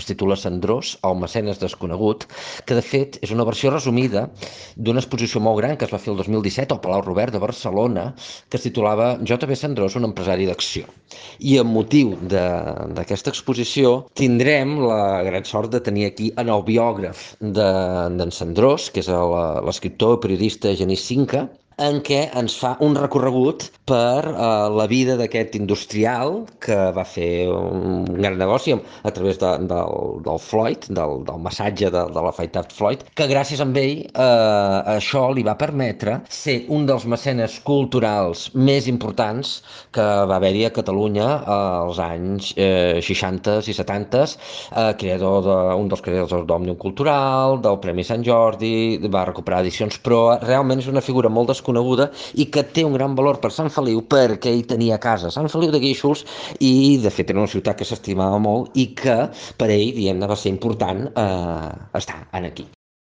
es titula Cendrós, el mecenes desconegut, que de fet és una versió resumida d'una exposició molt gran que es va fer el 2017 al Palau Robert de Barcelona, que es titulava J.B. Cendrós, un empresari d'acció. I amb motiu d'aquesta exposició tindrem la gran sort de tenir aquí en el biògraf d'en Cendrós, que és l'escriptor i periodista Genís Cinca, en què ens fa un recorregut per la vida d'aquest industrial que va fer un gran negoci a través del Floyd, del massatge de l'afaitat Floyd, que gràcies a ell això li va permetre ser un dels mecenes culturals més importants que va haver-hi a Catalunya als anys 60 i 70, un dels creadors d'Òmnium Cultural, del Premi Sant Jordi, va recuperar edicions, però realment és una figura molt desconeguda i que té un gran valor per Sant Feliu perquè ell tenia casa a Sant Feliu de Guíxols i de fet era una ciutat que s'estimava molt i que per ell, diguem-ne, va ser important estar aquí.